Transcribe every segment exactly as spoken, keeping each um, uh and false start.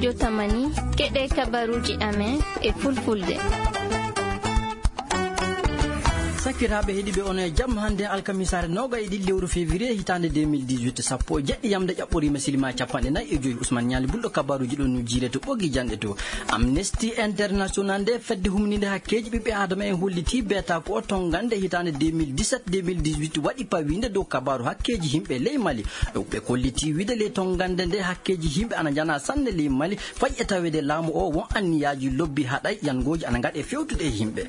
Yo tamani, keɗe kabaruuji amen e fulfulde. Sakiraaɓe heɗiiɓe, on e jam hannde alkamisaare noogay e ɗiɗi lewru février hitaande deux mille dix-huit, sappo e jeɗɗi yamde ƴaɓɓoriima silima capanɗe nayi e joyi. Ousmane Ñaali Bulɗo, kabaruuji ɗo no jiire to ɓogi janɗe to. Amnesty International, nde fedde humninde hakkeeji ɓiɓɓe aadama en, holliti beeta ko o tongande hitaande deux mille dix-sept deux mille dix-huit waɗi pawiinde dow kabaaru hakkeeji yimɓe ley Mali. Ɓe kolliti wiide ley tongande nde hakkeeji yimɓe ana njana sanne ley Mali, fayi e taweede laamu o won anniyaaji lobbi haɗay yangooji ana ngaɗe fewtude e yimɓe.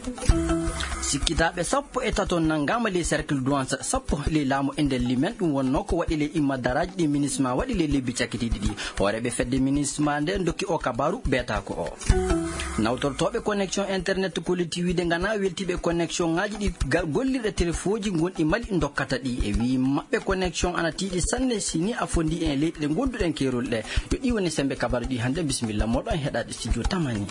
Sikkitaaɓe sappo e tato nanngaama ley cercle douane sappo ley laamu e nder limen, ɗum wonnoo ko waɗi ley imma daraaji ɗi minisma waɗi ley lebbi cakkitiiɗi ɗi. Hooreeɓe fedde minisma nde ndokki o kabaaru beeta ko o. Nawtortooɓe connexion internet kolliti wiide ngana weltiiɓe connexion ŋaaji ɗi ga-, gollirɗe telefooji gonɗi Mali ndokkata ɗi. E wii maɓɓe connexion ana tiiɗi sanne si ni a fondi en leyɗe ɗe gonduɗen keerol ɗe. Yo ɗi woni sembe kabaaru ɗi hannde. Bisimilla moɗon heɗaade studio tamani.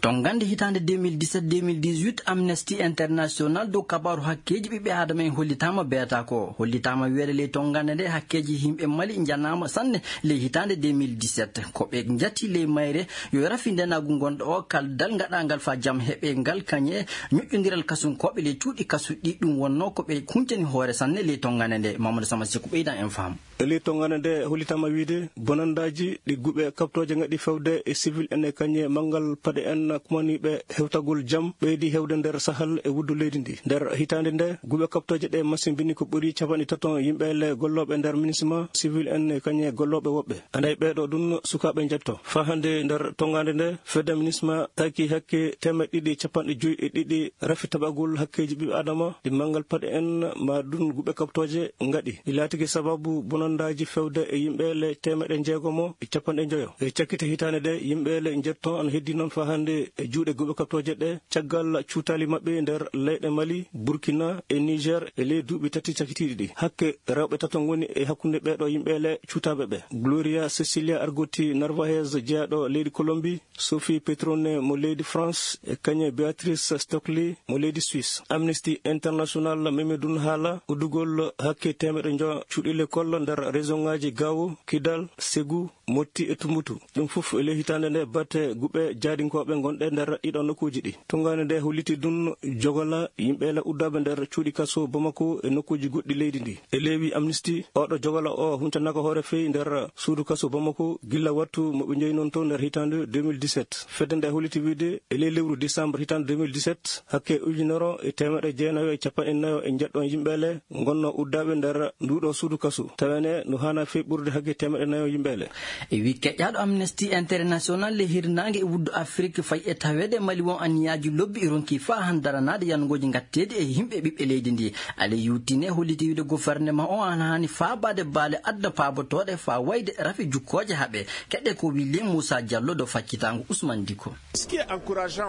Tongande hitaande deux mille dix-sept deux mille dix-huit, Amnesty International dow kabaaru hakkeeji ɓiɓɓe aadama en hollitaama beeta ko. Hollitaama wiyeede ley tongande nde hakkeeji yimɓe Mali njanaama sanne ley hitaande deux mille dix-sept. Ko ɓe njati ley mayre yo rafi ndenaagu ngonɗo o kaldal ngaɗaangal faa jam heɓe ngal kañe ñoƴƴondiral kasunkooɓe ley cuuɗi kasuɗi. Ɗum wonnoo ko ɓe huncani hoore sanne ley tongande nde. Mamadou Sama Seku ɓeydan en faamu. E ley tongande nde hollitaama wiide bonandaaji ɗi guɓe kaɓtooje ngaɗi fewde e civil en e kañe manngal paɗe en kumaniiɓe hewtagol jam ɓeydi hewde nder sahal e wuddu leydi ndi. Nder hitaande nde guɓe kaɓtooje ɗe masimbini ko ɓuri capanɗe tato yimɓe le gollooɓe nder minisma civil en e kañe gollooɓe woɓɓe. Anday ɓeeɗo ɗum sukaaɓe njetto. Faa hannde nder tongande nde fedde minisma taki hakke teemeɗɗe ɗiɗi capanɗe joyi e ɗiɗi rafi taɓagol hakkeeji ɓiɓɓe adama ɗi manngal paɗe en ma ɗum guɓe kaɓtooje ngaɗi. Ɗi laatiki sababu bonandaaji fewde e yimɓe le teemeɗe jeegomo e capanɗe njoyo. E cakkite hitaande nde yimɓe le njetto ana heddi noon faa hannde e juuɗe guɓe kaɓtooje ɗe caggal cuutaali maɓɓe nder leyɗe Mali, Burkina e Niger e ley duuɓi tati cakkitiiɗi ɗi. Hakke rewɓe tato ngoni e hakkunde ɓeeɗo yimɓe le cuutaaɓe ɓe. Gloria Cecilia Argoti Narvaez, jeyaɗo leydi Colombie, Sophie Petrone mo leydi France, e kañe Beatrice Stockley mo leydi Suisse. Amnesty International memi ɗum haala uddugol hakke teemeɗe njo cuuɗi lekkol nder région ŋaaji Gao, Kidal, Ségou, Mopti e Tumbuktu. Ɗum fof e ley hitaande nde batte guɓe jaadinkooɓe gonɗe nder ɗiɗo nokkuuji ɗi. Tongande nde holliti ɗum jogola yimɓe la uddaaɓe nder cuuɗi kaso Bamako e nokkuuji goɗɗi leydi ndi. E leewi Amnesty, oɗo jogola o huncanaaka hoore feyi nder suudu kaso Bamako gilla wattu mo ɓe njeyi noon to nder hitaande deux mille dix-sept. Fedde nde holliti wiide e ley lewru décembre hitaande deux mille dix-sept, hakke ujunere e teemeɗe jeenayo e capanɗe nayo e njeɗɗo yimɓe le ngonno uddaaɓe nder nduuɗo suudu kaso. Tawene no haana fey ɓurde hakke teemeɗe nayo yimɓe le. E wi keƴaaɗo Amnesty International le hirnaange e wuddu Afrik fay e taweede Mali won anniyaaji lobbi e ronki faa han daranaade yannugooji ngatteedi e yimɓe ɓiɓɓe leydi ndi. Ale yuutine holliti wiide gouvernement o ana haani faabaade baale adda paabotooɗe faa wayde rafi jukkooje haɓe. Keɗe ko wi le Moussa Diallo do faccitaango Ousmane Diko.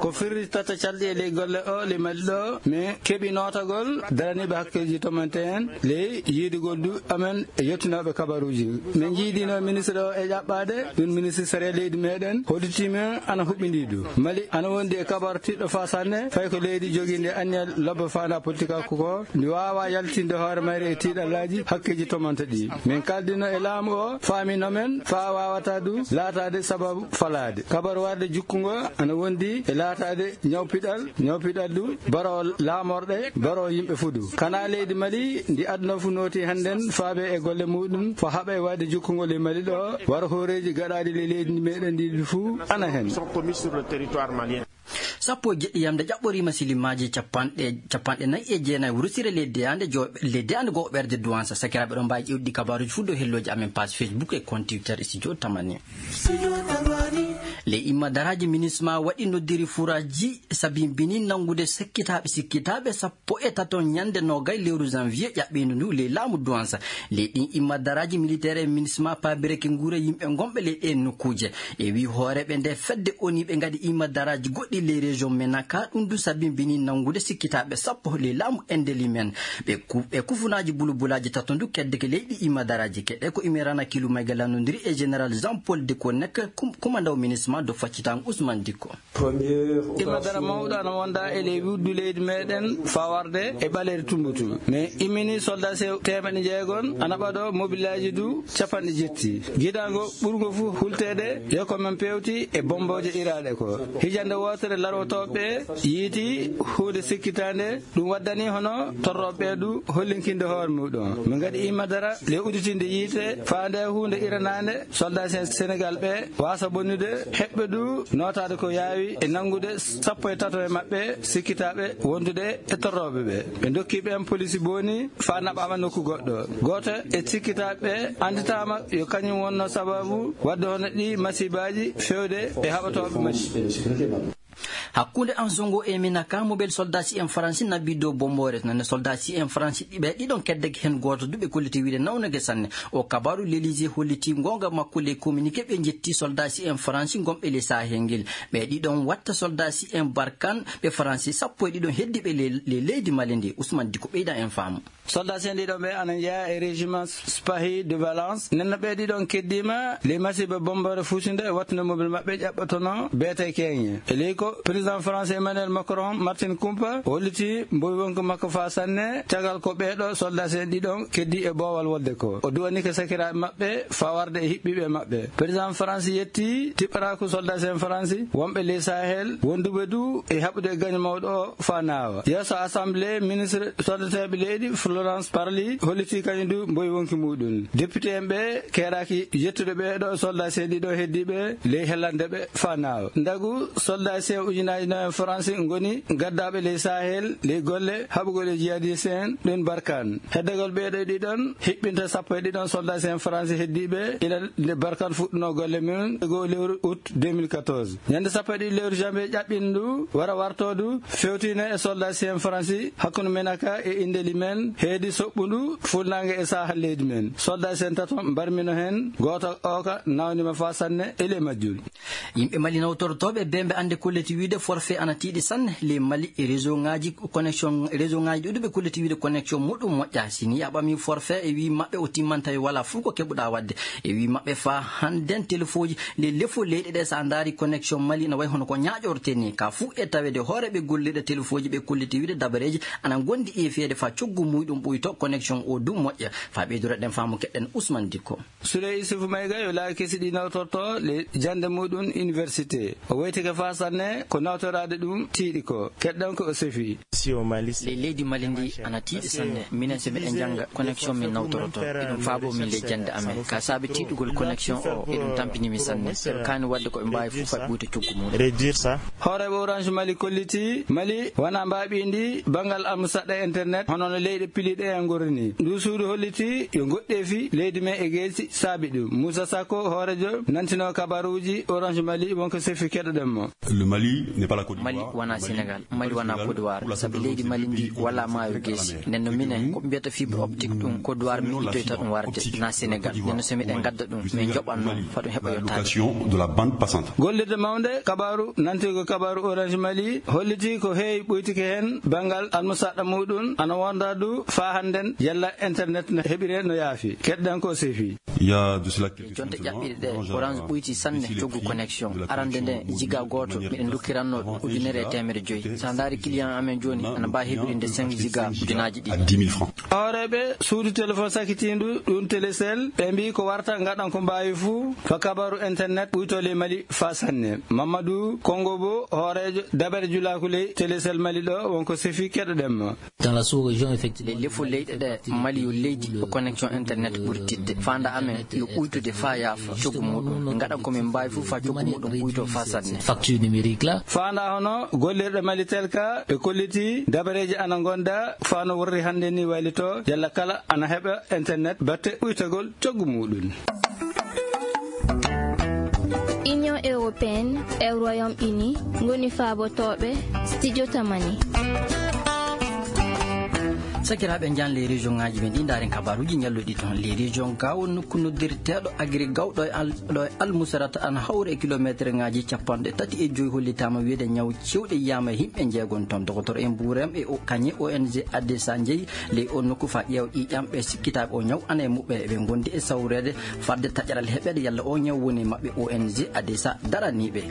Ko firritata calɗi e ley golle o ley Mali ɗo, min keɓi nootagol daraniiɓe hakkeeji tomante en ley yiidugol du amen e yettinooɓe kabaruuji. Min njiidino ministre o e ƴaɓɓaade ɗum ministre sariya leydi meɗen, hodditiimin ana huɓɓindii du. Mali ana wondi e kabaru tiɗɗo faa sanne, fay ko leydi jogiinde anniya lobbo faanda politika ko ko ndi waawa yaltinde hoore mayre e tiiɗallaaji hakkeeji tomante ɗi. Min kaldino e laamu o, faamino men faa waawata du laataade sababu falaade. Kabaru warde jukkungo ana wondi e laataade ñawpiɗal, ñawpiɗal du baro laamorɗe, baro yimɓe fuu du. Kana leydi Mali ndi aduna fuu nooti hannden faabe e golle muɗum fo haɓa e waɗde jukkungol e Mali ɗo, waro hooreeji gaɗaaɗi le leydi meɗen ndi fuu ana hen. Sappo e jeɗɗi yamde ƴaɓɓoriima silimaaji capanɗe, capanɗe nayi e jeenayi wurusire le deyaande jo-, le deyaande goo ɓerde duwansa. Sakiraaɓe ɗo mbaawi ƴewɗi kabaaruuji fuu dow hellooji amen page Facebook e compte Twitter e studio Tamani. Le imma daraaji minisma waɗi noddiri furaaji sabimbini nanngude sekkitaaɓe sikkitaaɓe sappo e tato ñande noogay lewru janvier ƴaɓɓiindu ndu ley laamu duwansa. Ley ɗin imma daraaji militaire e minisma paabireke nguure yimɓe gonɓe ley ɗeen nokkuuje. E wi hooreeɓe nde fedde oni ɓe ngaɗi imma daraaji goɗɗi ley Région Menaka, ɗum du sabimbini nanngude sikkitaaɓe sappo ley laamu Indelimen. Ɓe ku-, ɓe kufunaaji bulubulaaji tato ndu keddeke leyɗi Imadaraaji keɗe ko Imerana Kilu Mayga lanndondiri e Général Jean Paul Dicko nekk kum-, kumandaw minisma do faccitango Ousmane Dicko. Imadara mawɗo ana wonda e ley wuddu leydi meɗen fawarde e ɓaleeri Tumbutu. Mais immini soldat sew teemeɗe jeegon ana ɓaɗo mobilaaji du capanɗe jetti. Gidango ɓurgo fu hultede yo ko men pewti e bombooje iraaɗe ko. Hijande wootere larotooɓe yiiti huunde sikkitaande, ɗum waddani hono torrooɓe du hollinkinde hoore muɗum. Min ngadi imadara le udditinde yiite faande huunde iranaande soldat Sen-, Senegal ɓe wasa bonnude heɓɓe du nootaade ko yaawi e nanngude sappo e tato e maɓɓe sikkitaaɓe wondude e torrooɓe ɓe. Ɓe ndokki ɓeen polisi booni faa naɓaama nokku goɗɗo. Gooto e sikkitaaɓe annditaama yo kañum wonno sababu wadde hono ɗi masibaaji fewde e haɓatooɓe masiiɓe. Hakkunde Ansongo e Minaka, mobel soldat C M Faransi naɓi dow bomboore. Nane soldat C M Faransi ɗiɓe ɗiɗon keddeke heen gooto du ɓe kolliti wiide nawnage sanne. O kabaru L'Élysée holliti ngoonga makko ley communiqué ɓe njetti soldat C M Faransi ngonɓe ley Sahel ngel. Ɓe ɗiɗon watta soldat C M Barkan ɓe Faransi sappo e ɗiɗon heddiɓe le, le leydi Mali ndi. Ousmane Diko ɓeyda en faamu. Soldat C M ɗiɗon ɓe ana jeyaa e régiment Spahi de Valence. Nenno ɓe ɗiɗon keddiima ley masiiba bomboore fuutunde e wattude mobile maɓɓe ƴaɓɓotono beete keeñe. E ley ko président français Emmanuel Macron, Martin Kumpa, holliti mboy wonko makko faa sanne, tagal ko ɓeeɗo soldat C M ɗiɗon keddi e boowal wodde ko. O duwani ko sakiraaɓe maɓɓe faa warde e hiɓɓiiɓe maɓɓe. Président France yetti tiɓɓaraaku soldat C M France wonɓe ley Sahel, wonduɓe du e haɓude e gaño mawɗo o faa naawa. Yeeso assemblée ministre soddeteeɓe leydi, Florence Parly, holliti kañum du mboy wonki muɗum. Député en ɓe keeraaki yettude ɓeeɗo soldat C M ɗiɗon heddiiɓe ley hellande ɓe faa naawa. Ndagu soldat C M ujunaaji nayi France ngoni gaddaaɓe ley Sahel, ley golle haɓugol e jihadiste en ɗon Barkan. Heddagol ɓeeɗo ɗiɗon hiɓɓinta sappo e ɗiɗon soldat C M France heddiiɓe ila nde Barkan fuɗɗuno golle mum e goo lewru août deux mille quatorze. Ñande sappo e ɗiɗi lewru janvier ƴaɓɓindu wara wartoodu fewtino e soldat C M France hakkunde Menaka e Indeli men heedi soɓɓundu fuɗnaange e Sahel leydi men. Soldat C M tato mbarmino heen, gooto ooka nawnima faa sanne e ley majjul. Yimɓe Mali nawtortooɓe bee mbe annde kolliti wiide forfait ana tiiɗi sanne ley Mali e réseau ŋaaji connexion, réseau ŋaaji ɗuuɗi ɓe kolliti wiide connexion muɗum moƴƴa. Si ni a ɓami forfait e wii maɓɓe o timman tawi wala fuu ko keɓuɗa waɗde. E wii maɓɓe faa hannden telefooji ley lefol leyɗe ɗe sa ndaari connexion Mali na wayi hono ko ñaaƴorte ni. Ka fuu e taweede hooreeɓe gollirɗe telefooji ɓe kolliti wiide dabareeji ana ngondi e feede faa coggu muyɗum ɓuyto connexion o du moƴƴa. Faa ɓeydureɗen faamu keɗɗen Ousmane Dikko. Souley Issoufou Maïga yo laawi kesi ɗi nawtorto le jannde muɗum université. O weytike faa sanne ko nawtoraade ɗum tiiɗi ko. Keɗɗen ko o sefi. Ley leydi Mali ndi ana tiiɗi sanne. Minen so miɗen jannga, connexion min nawtoroto. Eɗum faabo min ley jannde amen. Ka saabi tiiɗugol connexion o, eɗum tampini mi sanne. Eɓe kaani waɗde ko ɓe mbaawi fof faa ɓuyta coggu mum. Hooreeɓe Orange Mali kolliti Mali wona mbaaɓiindi banngal almusaɗɗa internet, hono no leyɗe piliiɗe e ngorri ni. Ndu suudu holliti yo goɗɗeefi leydi men e geesi saabi ɗum. Moussa Sako, hooreejo nantino kabaruuji Orange Mali, wonko sefi keɗoɗen mo. Le Mali n'est pas la Côte d'Ivoire. Mali wona Sénégal, Mali wona Côte d'Ivoire, sabi leydi Mali ndi wala maayo geesi. Nden no minen, ko ɓe mbiyata fibre optique ɗum, Côte d'Ivoire miɗitoyta ɗum warde, na Sénégal. Nden no so miɗen ngadda ɗum, min joɓan noon, fa ɗum heɓa yottaade. Gollirde mawnde kabaaru, nantirgo kabaaru Orange Mali, holliti ko heewi ɓuytike heen banngal almusaɗɗa muɗum, ana wonda du faa hannden yalla internet no heɓire no yaafi. Keɗɗen ko sefi. Jonte ƴaɓɓiɗe ɗe, Orange ɓuyti sanne coggu connexion. Arande nde, giga gooto, miɗen ndokkiranno ɗum ujunere e teemedde joyi. So a ndaari client amen jooni, ana mbaawi heɓirinde cinq giga ujunaaji ɗiɗi. Hooreeɓe suudu téléphone sakitiindu, ɗum Télécel, ɓe mbii ko warta ngaɗan ko mbaawi fuu, faa kabaaru internet ɓuyto ley Mali faa sanne. Mamadou Kongo Bo, hooreejo dabare julaaku ley Télécel Mali ɗo, wonko sefi keɗoɗen mo. Dans la sous-région, effectivement, les lefo leyɗe ɗe, Mali yo leydi ko connexion internet ɓuri tiiɗde. Faanda amen yo ɓuytude faa yaafa coggu muɗum. Ngaɗan ko min mbaawi fof faa coggu muɗum ɓuyto faa sanne. Facture numérique la. Faanda hono gollirɗe Malitel ka, ɓe kolliti dabareeji ana ngonda faa no worri hannde ni waylito, yalla kala ana heɓa internet batte ɓuytagol coggu muɗum. Union européenne e Royaume-Uni ngoni faabotooɓe Studio Tamani. Sakiraaɓe, njaan les région ŋaaji men ɗi ndaaren kabaaruuji ñalluɗi toon. Les région Gaawo, nokku noddirteeɗo Agri Gaawo ɗo e Al-, ɗo e Almusarata, ana hawra e kilomeetre ŋaaji capanɗe tati e joyi, hollitaama wiyde ñaw cewɗe yiyaama e yimɓe njeegon toon. Dokotor en mbuuram e o-, kañe O N G Adesa njeyi ley o nokku faa ƴeewa ƴiiƴam ɓe sikkitaaɓe o ñaw ana e muɓɓen, eɓe ngondi e sawreede fadde taƴaral heɓeede yalla o ñaw woni e maɓɓe. O N G Adesa daraniiɓe.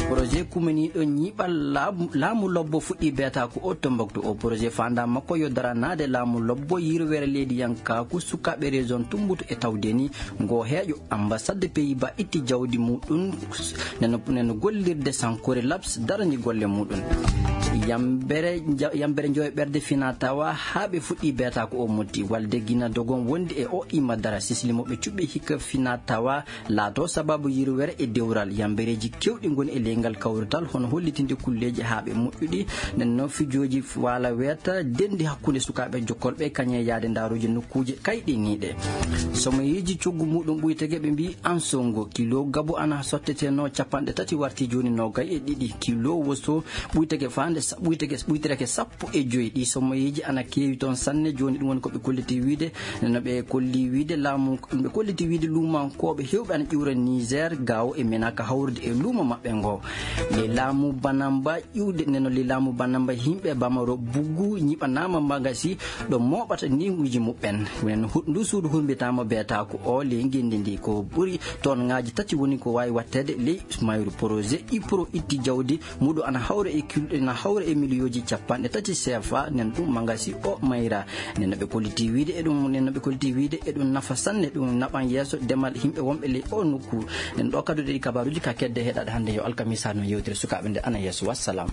Projet kumaniiɗo ñiiɓal laamu, laamu lobbo fuɗɗii beetaaku o Tombouctou. O projet faandaama ko yo daranaade laamu lobbo yirwere leydiyankaaku sukaaɓe région Tombouctou e tawde ni ngo heeƴo. Ambassade Pays-Bas itti jawdi muɗum neno, neno gollirde sankore labs darani golle muɗum. Yambere nja-, yambere njoyo ɓerde fina tawa haa ɓe fuɗɗi beetaaku o motti. Walde gina dogon wondi e o imma dara sisli mo ɓe cuɓɓi hikka fina tawa laato sababu yirwere e dewral. Yambereeji keewɗi ngoni e ley ngal kawrital, hono hollitinde kulleeji haa ɓe moƴƴuɗi. Nden noon, fijooji waala weeta denndi hakkunde sukaaɓe jokkolɓe kañe yaade ndaaruuji nokkuuje kayɗiniiɗe. Somoyeeji coggu muɗum ɓuytege ɓe mbii Ansongo, kilo gabu ana sottetenoo capanɗe tati warti jooni noogay e ɗiɗi. Kilo woso ɓuytege faande sa-, ɓuytege, ɓuytirake sappo e joyi. Ɗi somoyeeji ana keewi toon sanne. Jooni ɗum woni ko ɓe kolliti wiide, no ɓe kolli wiide laamu, ɓe kolliti wiide luumankooɓe heewɓe ana ƴuura Niger, Gaawo e Menaka hawrude e luumo maɓɓe ngo. Le laamu Banamba ƴuwde neno le laamu Banamba yimɓe Bamaro Buggu ñiɓanaama magasi ɗo mooɓata ninguuji muɓɓen. Nen hu-, ndu suudu humbitaama beetaaku o le ngenndi ndi ko ɓuri toon ŋaaji tati woni ko waawi watteede ley mayru. Projet IPRO itti jawdi muɗo ana hawra e kil-, ana hawra e miliyooji capanɗe tati C F A, nen ɗum magasi o mayra. Nen no ɓe kolliti wiide e ɗum, nen no ɓe kolliti wiide e ɗum nafa sanne, ɗum naɓan yeeso demal yimɓe wonɓe ley o nokku. Nen ɗo kadu ɗi kabaaruuji ka kedde heɗaɗe hannde yo alkamisa no yewtere sukaaɓe nde ana yeeso. Wassalam.